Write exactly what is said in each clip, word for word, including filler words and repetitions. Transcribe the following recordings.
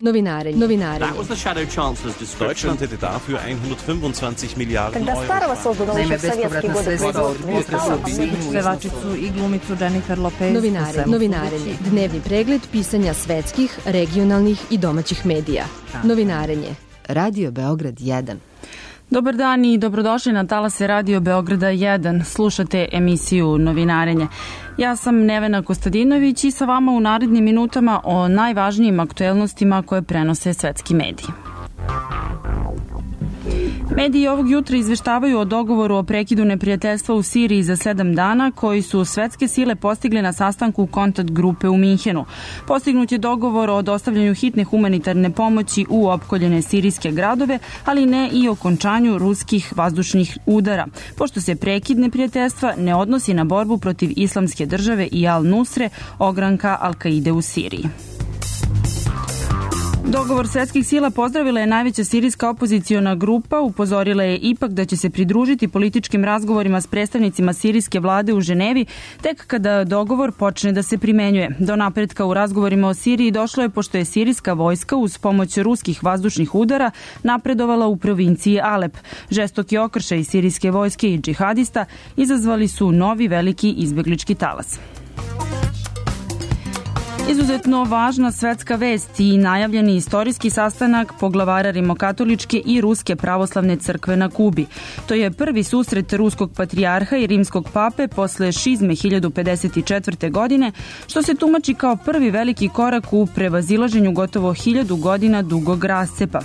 Novinarenje. Novinarenje. That was the Shadow Chancellor's description. Deutschland hätte dafür hundertfünfundzwanzig Miliarden Когда старого создано еще в советские годы производства. Pevačicu i glumicu Jennifer Lopez. Novinarenje. Novinarenje. Dnevni pregled pisanja svetskih, regionalnih i domaćih medija. Novinarenje. Radio Beograd jedan. Dobar dan i dobrodošli na talase Radio Beograda jedan. Slušate emisiju Novinarenje. Ja sam Nevena Kostadinović i sa vama u narednim minutama o najvažnijim aktuelnostima koje prenose svetski mediji. Mediji ovog jutra izveštavaju o dogovoru o prekidu neprijateljstva u Siriji za sedam dana koji su svetske sile postigle na sastanku kontakt grupe u Minhenu. Postignut je dogovor o dostavljanju hitne humanitarne pomoći u opkoljene sirijske gradove, ali ne i o okončanju ruskih vazdušnih udara, pošto se prekid neprijateljstva ne odnosi na borbu protiv Islamske države i Al-Nusre, ogranka Al-Kaide u Siriji. Dogovor svetskih sila pozdravila je najveća sirijska opoziciona grupa, upozorila je ipak da će se pridružiti političkim razgovorima s predstavnicima sirijske vlade u Ženevi tek kada dogovor počne da se primenjuje. Do napretka u razgovorima o Siriji došlo je pošto je sirijska vojska uz pomoć ruskih vazdušnih udara napredovala u provinciji Alep. Žestoki okršaj sirijske vojske i džihadista izazvali su novi veliki izbeglički talas. Izuzetno važna svetska vest i najavljeni istorijski sastanak poglavara rimokatoličke i ruske pravoslavne crkve na Kubi. To je prvi susret ruskog patrijarha i rimskog pape posle šizme hiljadu pedeset četvrte. godine, što se tumači kao prvi veliki korak u prevazilaženju gotovo hiljadu godina dugog rascepa.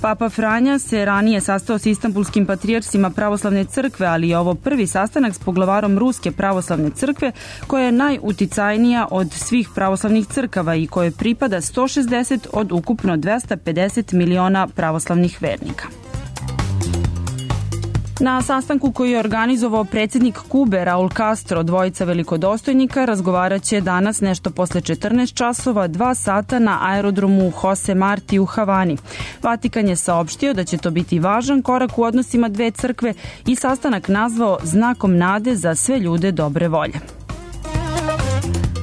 Papa Franja se ranije sastao s istanbulskim patrijarhima pravoslavne crkve, ali je ovo prvi sastanak s poglavarom Ruske pravoslavne crkve, koja je najuticajnija od svih pravoslavnih crkava i koje pripada sto šezdeset od ukupno dvesta pedeset miliona pravoslavnih vernika. Na sastanku koji je organizovao predsjednik Kube Raul Castro, dvojica velikodostojnika razgovarat će danas nešto posle četrnaest časova, dva sata na aerodromu Jose Marti u Havani. Vatikan je saopštio da će to biti važan korak u odnosima dve crkve i sastanak nazvao znakom nade za sve ljude dobre volje.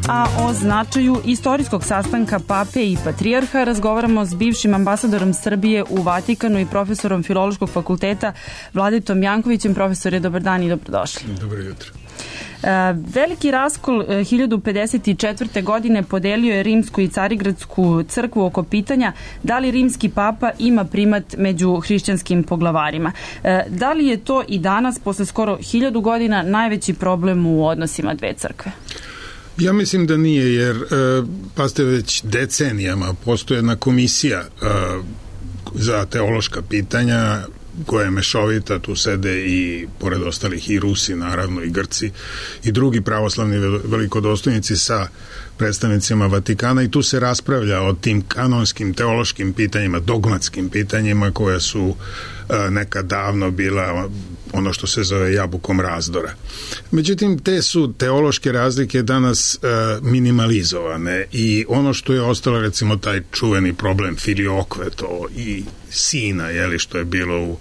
A o značaju istorijskog sastanka pape i patrijarha razgovaramo s bivšim ambasadorom Srbije u Vatikanu i profesorom Filološkog fakulteta Vladetom Jankovićem. Profesore, dobar dan i dobrodošli. Dobro jutro. Veliki raskol hiljadu pedeset četvrte. godine podelio je rimsku i carigradsku crkvu oko pitanja da li rimski papa ima primat među hrišćanskim poglavarima. Da li je to i danas, posle skoro hiljadu godina, najveći problem u odnosima dve crkve? Ja mislim da nije, jer e, pazite, već decenijama postoji jedna komisija e, za teološka pitanja koja je mešovita, tu sede i pored ostalih i Rusi, naravno i Grci i drugi pravoslavni velikodostojnici sa predstavnicima Vatikana, i tu se raspravlja o tim kanonskim teološkim pitanjima, dogmatskim pitanjima koja su e, nekad davno bila ono što se zove jabukom razdora. Međutim, te su teološke razlike danas e, minimalizovane i ono što je ostalo, recimo taj čuveni problem filiokve, to i sina, jeli, što je bilo u,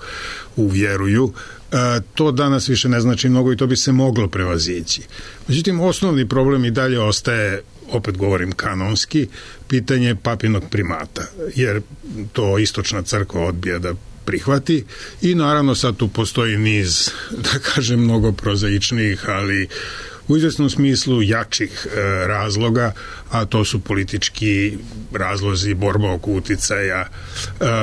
u vjeruju, e, to danas više ne znači mnogo i to bi se moglo prevazići. Međutim, osnovni problem i dalje ostaje, opet govorim kanonski, pitanje papinog primata, jer to istočna crkva odbija da prihvati i naravno sad tu postoji niz, da kažem, mnogo prozaičnijih, ali u izvesnom smislu jačih e, razloga, a to su politički razlozi, borba oko uticaja, e,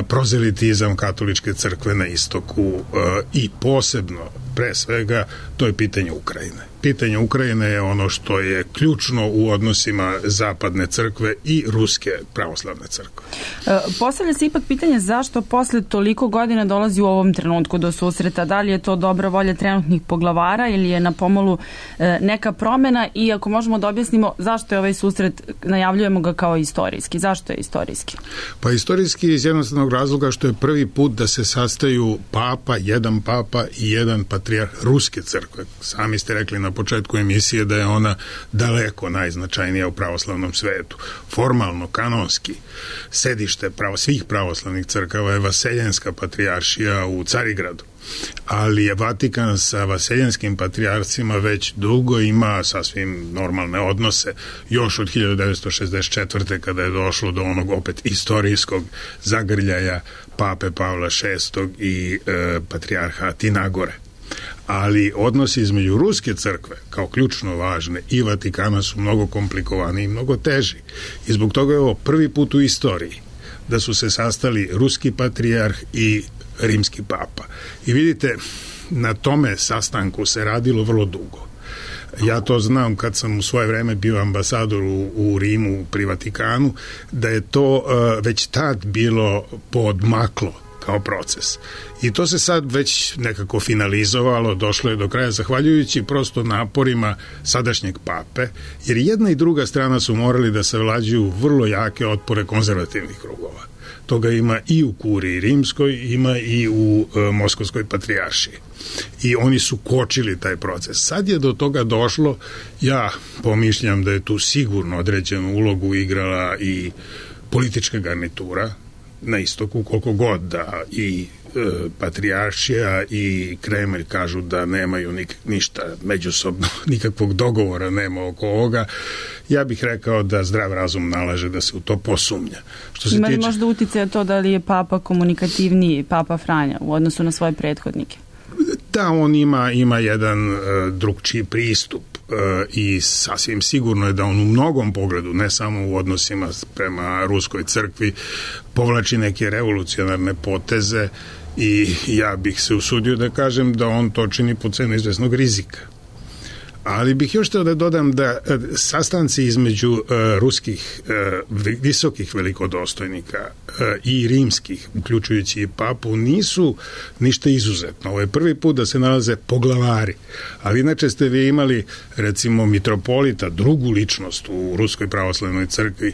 prozelitizam katoličke crkve na istoku e, i posebno, pre svega, to je pitanje Ukrajine. Pitanje Ukrajine je ono što je ključno u odnosima zapadne crkve i ruske pravoslavne crkve. E, postavlja se ipak pitanje zašto posle toliko godina dolazi u ovom trenutku do susreta. Da li je to dobra volja trenutnih poglavara ili je na pomolu e, neka promena, i ako možemo da objasnimo zašto je ovaj susret, najavljujemo ga kao istorijski. Zašto je istorijski? Pa istorijski iz jednostavnog razloga što je prvi put da se sastaju papa, jedan papa i jedan patrijarh ruske crkve. Sami ste rekli na početku emisije da je ona daleko najznačajnija u pravoslavnom svetu. Formalno, kanonski, sedište pravo, svih pravoslavnih crkava je Vaseljenska patrijaršija u Carigradu. ali je Vatikan sa vaseljanskim patrijarcima već dugo ima sasvim normalne odnose, još od hiljadu devetsto šezdeset četvrte. kada je došlo do onog opet istorijskog zagrljaja pape Pavla šestog i e, patrijarha Tinagore. Ali odnosi između Ruske crkve, kao ključno važne, i Vatikana su mnogo komplikovaniji i mnogo teži. I zbog toga je ovo prvi put u istoriji da su se sastali ruski patrijarh i rimski papa. I vidite, na tome sastanku se radilo vrlo dugo. Ja to znam kad sam u svoje vreme bio ambasador u, u Rimu pri Vatikanu, da je to uh, već tad bilo podmaklo kao proces. I to se sad već nekako finalizovalo, došlo je do kraja zahvaljujući prosto naporima sadašnjeg pape, jer jedna i druga strana su morali da savlađuju vrlo jake otpore konzervativnih krugova. Toga ima i u kuriji rimskoj, ima i u e, moskovskoj patrijaršiji. I oni su kočili taj proces. Sad je do toga došlo, ja pomišljam da je tu sigurno određenu ulogu igrala i politička garnitura na istoku, koliko god da i e, patrijaršija i Kremlj kažu da nemaju nik, ništa međusobno, nikakvog dogovora nema oko ovoga. Ja bih rekao da zdrav razum nalaže da se u to posumnja. Što se Ima li tiče... možda uticaja to da li je papa komunikativniji, papa Franja, u odnosu na svoje prethodnike? Da, on ima, ima jedan uh, drugčiji pristup uh, i sasvim sigurno je da on u mnogom pogledu, ne samo u odnosima prema Ruskoj crkvi, povlači neke revolucionarne poteze i ja bih se usudio da kažem da on to čini po cenu izvesnog rizika. Ali bih još htio da dodam da sastanci između uh, ruskih uh, visokih velikodostojnika uh, i rimskih, uključujući i papu, nisu ništa izuzetno. Ovo je prvi put da se nalaze poglavari. Ali inače ste vi imali, recimo, mitropolita, drugu ličnost u Ruskoj pravoslavnoj crkvi,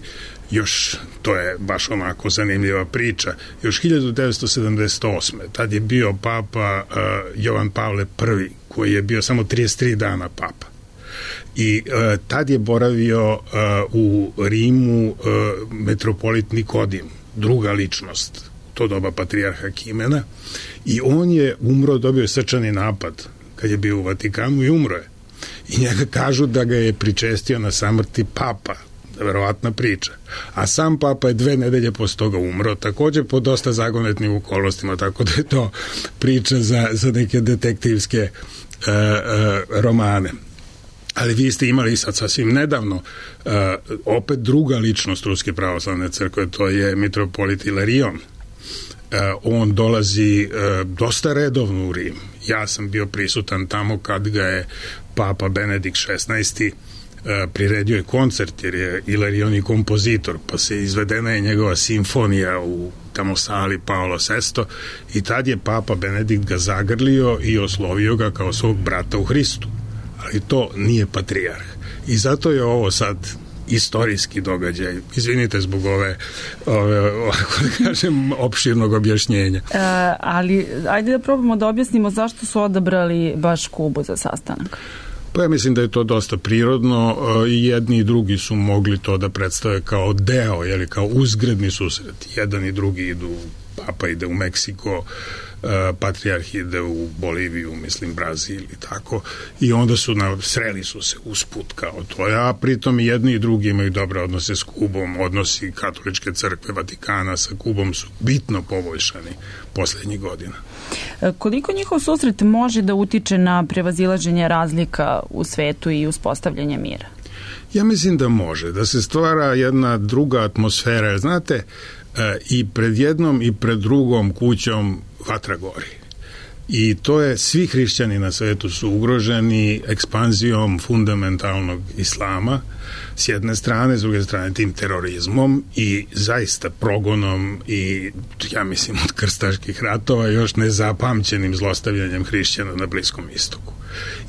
još, to je baš onako zanimljiva priča, još hiljadu devetsto sedamdeset osme. Tad je bio papa uh, Jovan Pavle prvi, koji je bio samo trideset tri dana papa. I uh, tad je boravio uh, u Rimu uh, metropolit Nikodim, druga ličnost, to doba patrijarha Kimena, i on je umro, dobio srčani napad kad je bio u Vatikanu i umro je. I njega kažu da ga je pričestio na samrti papa, verovatna priča. A sam papa je dve nedelje posle toga umro, takođe po dosta zagonetnim okolnostima, tako da je to priča za, za neke detektivske e, e, romane. Ali vi ste imali sad sasvim nedavno e, opet druga ličnost Ruske pravoslavne crkve, to je mitropolit Ilarion. E, on dolazi e, dosta redovno u Rim. Ja sam bio prisutan tamo kad ga je papa Benedikt šesnaesti priredio je koncert, jer je Ilarion i kompozitor, pa se izvedena je njegova simfonija u tamo sali Paolo šesti i tad je papa Benedikt ga zagrlio i oslovio ga kao svog brata u Hristu. Ali to nije patrijarh. I zato je ovo sad istorijski događaj. Izvinite zbog ove, ove ovako da kažem, opširnog objašnjenja. E, ali ajde da probamo da objasnimo zašto su odabrali baš Kubu za sastanak. Pa ja mislim da je to dosta prirodno i jedni i drugi su mogli to da predstave kao deo, jeli, kao uzgredni susret. Jedan i drugi idu, papa ide u Meksiko, patrijarh ide u Boliviju, mislim Brazil i tako, i onda su na, sreli su se usput kao to, a pritom i jedni i drugi imaju dobre odnose s Kubom, odnosi Katoličke crkve Vatikana sa Kubom su bitno poboljšani poslednjih godina. Koliko njihov susret može da utiče na prevazilaženje razlika u svetu i uspostavljanje mira? Ja mislim da može, da se stvara jedna druga atmosfera. Znate, i pred jednom i pred drugom kućom vatra gori. I to je, svi hrišćani na svetu su ugroženi ekspanzijom fundamentalnog islama s jedne strane, s druge strane tim terorizmom i zaista progonom i, ja mislim, od krstaških ratova još nezapamćenim zlostavljanjem hrišćana na Bliskom istoku.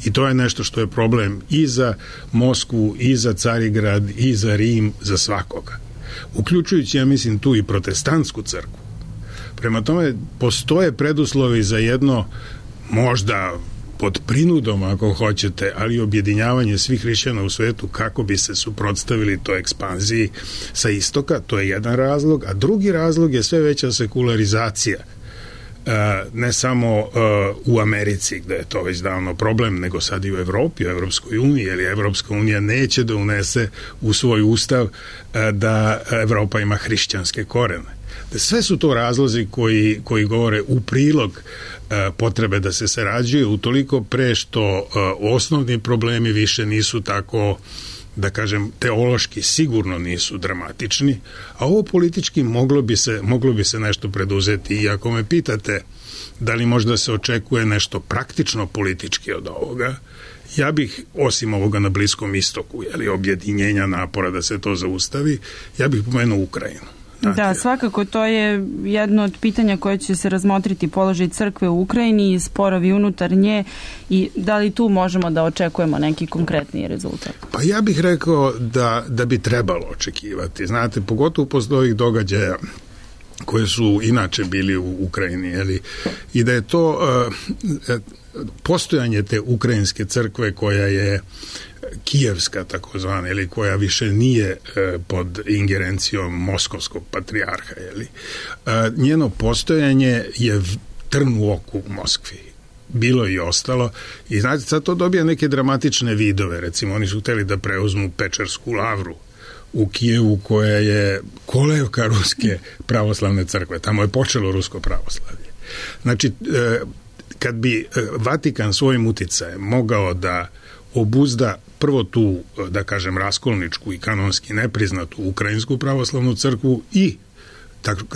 I to je nešto što je problem i za Moskvu, i za Carigrad, i za Rim, za svakoga. Uključujući, ja mislim, tu i protestantsku crkvu. Prema tome, postoje preduslovi za jedno, možda pod prinudom ako hoćete, ali objedinjavanje svih hrišćana u svetu kako bi se suprotstavili toj ekspanziji sa istoka, to je jedan razlog, a drugi razlog je sve veća sekularizacija ne samo u Americi gde je to već davno problem, nego sad i u Evropi, u Evropskoj uniji, jer Evropska unija neće da unese u svoj ustav da Evropa ima hrišćanske korene. Sve su to razlozi koji, koji govore u prilog potrebe da se sarađuje, utoliko pre što osnovni problemi više nisu tako, da kažem, teološki sigurno nisu dramatični, a ovo politički moglo bi se, moglo bi se nešto preduzeti. I ako me pitate da li možda se očekuje nešto praktično politički od ovoga, ja bih, osim ovoga na Bliskom istoku, jeli, objedinjenja napora da se to zaustavi, ja bih pomenuo Ukrajinu. Da, svakako to je jedno od pitanja koje će se razmotriti, položaj crkve u Ukrajini i sporovi unutar nje, i da li tu možemo da očekujemo neki konkretni rezultat? Pa ja bih rekao da, da bi trebalo očekivati. Znate, pogotovo posle ovih događaja koje su inače bili u Ukrajini, jeli, i da je to uh, postojanje te ukrajinske crkve koja je kijevska takozvana, ili koja više nije e, pod ingerencijom moskovskog patrijarha, jeli. E, njeno postojanje je trn u oku u Moskvi. Bilo i ostalo. I znate, sad to dobija neke dramatične vidove. Recimo, oni su hteli da preuzmu Pečersku lavru u Kijevu, koja je kolevka ruske pravoslavne crkve. Tamo je počelo rusko pravoslavlje. Znači, e, kad bi Vatikan svojim uticajem mogao da obuzda prvo tu, da kažem, raskolničku i kanonski nepriznatu ukrajinsku pravoslavnu crkvu i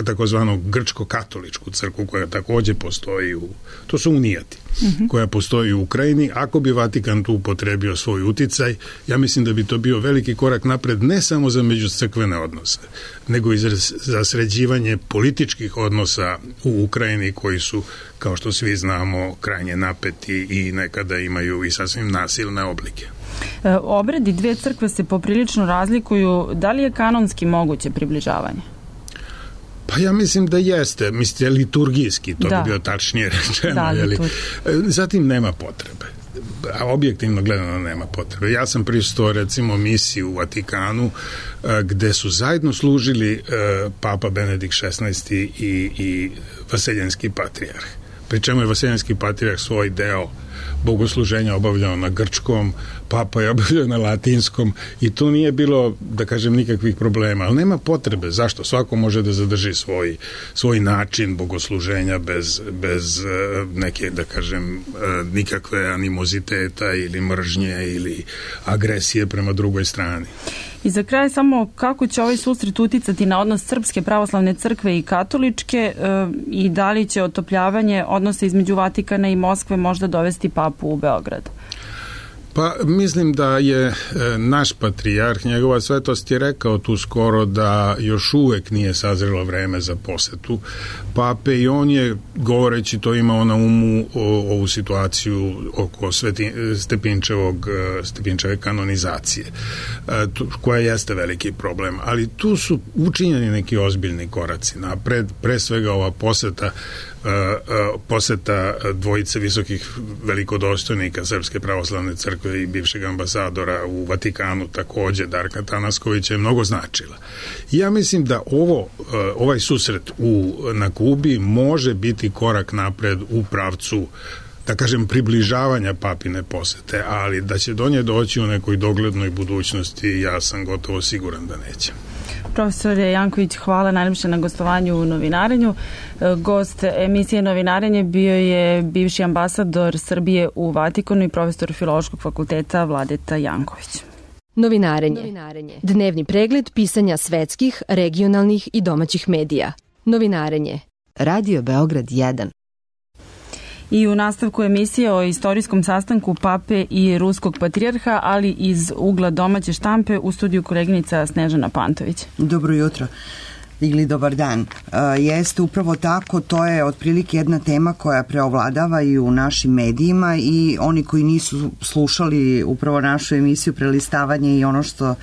takozvanu grčko-katoličku crkvu koja takođe postoji u, to su unijati, mm-hmm. koja postoji u Ukrajini. Ako bi Vatikan tu upotrebio svoj uticaj, ja mislim da bi to bio veliki korak napred, ne samo za međucrkvene odnose, nego i za sređivanje političkih odnosa u Ukrajini, koji su, kao što svi znamo, krajnje napeti i nekada imaju i sasvim nasilne oblike. E, obredi dve crkve se poprilično razlikuju. Da li je kanonski moguće približavanje? Pa ja mislim da jeste, mislite liturgijski, to da. bi bio tačnije rečeno. Da, jeli? Zatim nema potrebe, a objektivno gledano nema potrebe. Ja sam prisutovao recimo misiji u Vatikanu gde su zajedno služili Papa Benedikt šesnaesti i, i Vaseljenski patrijarh. Pri čemu je Vaseljenski patrijarh svoj deo bogosluženja obavljao na grčkom, Papa je obavljao na latinskom, i tu nije bilo, da kažem, nikakvih problema, ali nema potrebe. Zašto? Svako može da zadrži svoj, svoj način bogosluženja bez, bez neke, da kažem, nikakve animoziteta ili mržnje ili agresije prema drugoj strani. I za kraj samo kako će ovaj susret uticati na odnos Srpske pravoslavne crkve i katoličke e, i da li će otopljavanje odnosa između Vatikana i Moskve možda dovesti papu u Beograd? Pa mislim da je e, naš patrijarh, njegova svetost, je rekao tu skoro da još uvek nije sazrelo vreme za posetu pape, i on je, govoreći to, imao na umu o, ovu situaciju oko Sveti, Stepinčevog, Stepinčeve kanonizacije, e, tu, koja jeste veliki problem, ali tu su učinjeni neki ozbiljni koraci napred, pre svega ova poseta poseta dvojice visokih velikodostojnika Srpske pravoslavne crkve i bivšeg ambasadora u Vatikanu, takođe Darka Tanaskovića, je mnogo značila. I ja mislim da ovo, ovaj susret u, na Kubi može biti korak napred u pravcu, da kažem, približavanja papine posete, ali da će do nje doći u nekoj doglednoj budućnosti, ja sam gotovo siguran da neće. Profesore Janković, hvala najljepše na gostovanju u Novinarenju. Gost emisije Novinarenje bio je bivši ambasador Srbije u Vatikanu i profesor Filološkog fakulteta Vladeta Janković. Novinarenje. Dnevni pregled pisanja svetskih, regionalnih i domaćih medija. Novinarenje. Radio Beograd jedan. I u nastavku emisije o istorijskom sastanku pape i ruskog patrijarha, ali iz ugla domaće štampe, u studiju koleginica Snežana Pantović. Dobro jutro ili dobar dan. E, jeste upravo tako, to je otprilike jedna tema koja preovladava i u našim medijima, i oni koji nisu slušali upravo našu emisiju Prelistavanje i ono što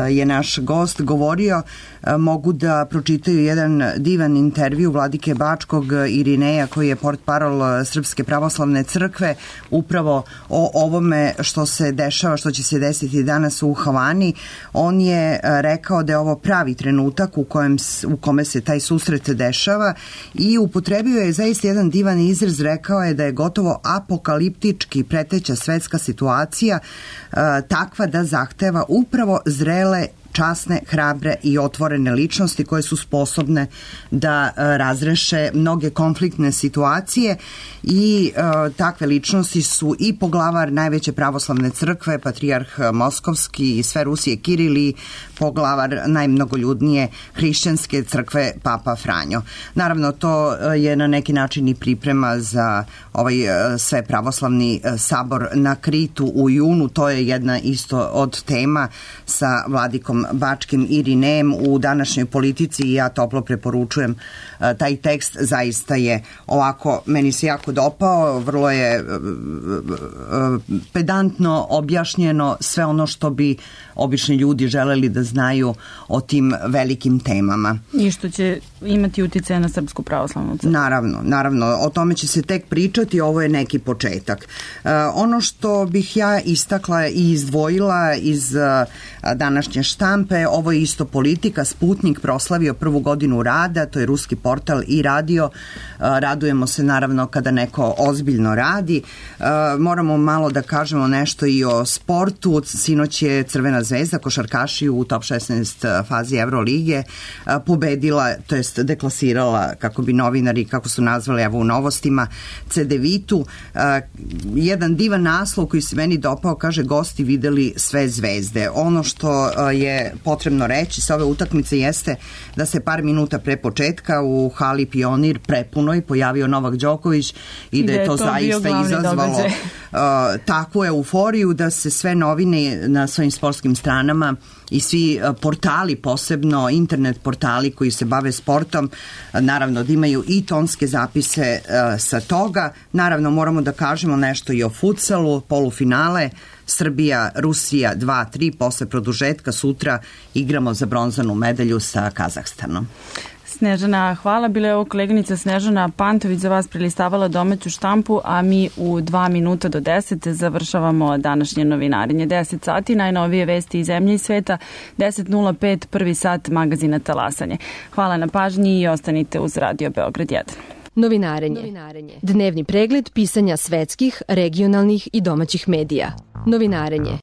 je naš gost govorio, mogu da pročitaju jedan divan intervju Vladike Bačkog Irineja, koji je portparol Srpske pravoslavne crkve, upravo o ovome što se dešava, što će se desiti danas u Havani. On je rekao da je ovo pravi trenutak u, kojem, u kome se taj susret dešava i upotrebio je zaista jedan divan izraz, rekao je da je gotovo apokaliptički preteća svetska situacija uh, takva da zahteva upravo zrele, časne, hrabre i otvorene ličnosti koje su sposobne da uh, razreše mnoge konfliktne situacije i uh, takve ličnosti su i poglavar najveće pravoslavne crkve, patrijarh Moskovski i sve Rusije Kiril i poglavar najmnogoljudnije hrišćanske crkve Papa Franjo. Naravno, to je na neki način i priprema za ovaj sve pravoslavni sabor na Kritu u junu. To je jedna isto od tema sa vladikom Bačkim Irinejem u današnjoj politici i ja toplo preporučujem taj tekst. Zaista je ovako, meni se jako dopao, vrlo je pedantno objašnjeno sve ono što bi obični ljudi želeli da znaju o tim velikim temama. I što će imati uticaja na Srpsku pravoslavnu crkvu. Naravno, naravno, o tome će se tek pričati, ovo je neki početak. Uh, ono što bih ja istakla i izdvojila iz uh, današnje štampe, ovo je isto politika. Sputnik proslavio prvu godinu rada, to je ruski portal i radio. Uh, radujemo se naravno kada neko ozbiljno radi. Uh, moramo malo da kažemo nešto i o sportu. Sinoć je Crvena zvezda, košarkaši u top šesnaest fazi Evrolige pobedila, to jest deklasirala, kako bi novinari, kako su nazvali evo u novostima, Cedevitu. Jedan divan naslov koji se meni dopao, kaže gosti videli sve zvezde. Ono što je potrebno reći sa ove utakmice jeste da se par minuta pre početka u hali Pionir prepunoj pojavio Novak Đoković i da je to, to zaista izazvalo uh, takvu euforiju da se sve novine na svojim sportskim stranama i svi portali, posebno internet portali koji se bave sportom, naravno da imaju i tonske zapise uh, sa toga. Naravno moramo da kažemo nešto i o futsalu, polufinale Srbija, Rusija dva tri, posle produžetka sutra igramo za bronzanu medalju sa Kazahstanom. Snežana, hvala. Bila je ovo koleginica Snežana Pantović za vas prelistavala domaću štampu, a mi u dva minuta do deset završavamo današnje novinarenje. deset sati, najnovije vesti iz zemlje i sveta, deset nula pet, prvi sat magazina Talasanje. Hvala na pažnji i ostanite uz Radio Beograd jedan. Novinarenje. Novinarenje. Dnevni pregled pisanja svetskih, regionalnih i domaćih medija. Novinarenje.